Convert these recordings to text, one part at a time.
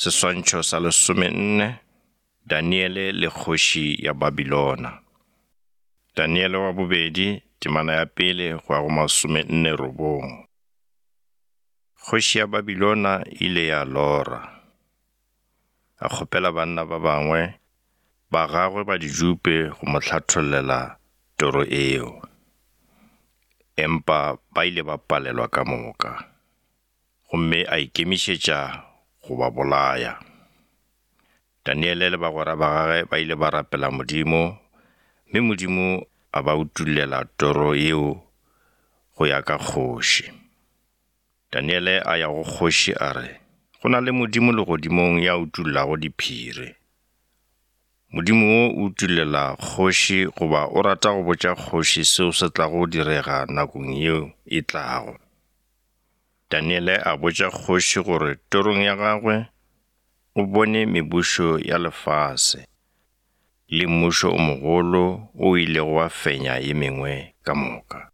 Seswantšho sa lesomenne, Daniele le kgoši ya Babilona. Daniele wa bobedi, temana ya pele go ya go masomenne robong. Kgoši ya Babilona ile ya lora. A kgopela banna ba bangwe ba gagwe ba didupe go mo hlathollela toro eo. Empa ba ile ba palelwa ka moka. Gomme a ikemišetša go ba bolaya. Daniele le bagwera ba gagwe ba ile ba rapela Modimo, mme Modimo a ba utollela toro yeo go ya ka kgoši. Daniele a ya go kgoši a re, Go na le Modimo legodimong ya utollago diphiri. Modimo wo o utollela kgoši goba o rata go botša kgoši seo se tlago direga nakong yeo e tlago. Daniele a botša kgoši gore torong ya gagwe o bone mebušo ya lefase le mmušo o mogolo o ilego wa fenya ye mengwe ka moka.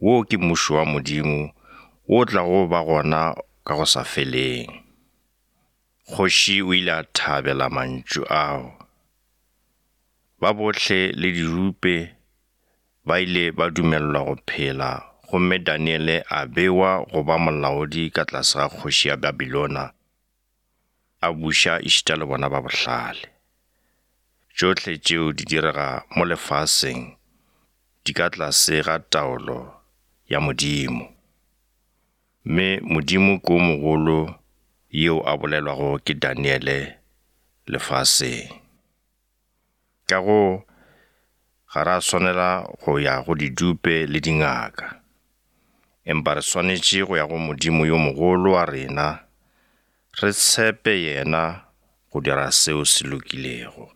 Wo ke mmušo wa Modimo wo o tlago ba gona ka go sa feleng. Kgoši o ile a thabela mantšu ao. Ba bohle le dirupe Ba ile ba dumelelwa go phela gomme Daniele a bewa go ba molaodi ka tlase ga kgoši ya Babilona, a buša ešita le bona ba bohlale. Tšohle tšeo di direga mo lefaseng di ka tlase ga taolo ya Modimo. Mme Modimo ke o mogolo yeo a bolelwago ke Daniele lefaseng. Ka go ga ra swanela go ya go didupe le dingaka, empa re swanetše go ya go Modimo yo mogolo wa rena, re tshepe yena go dira seo se lokilego.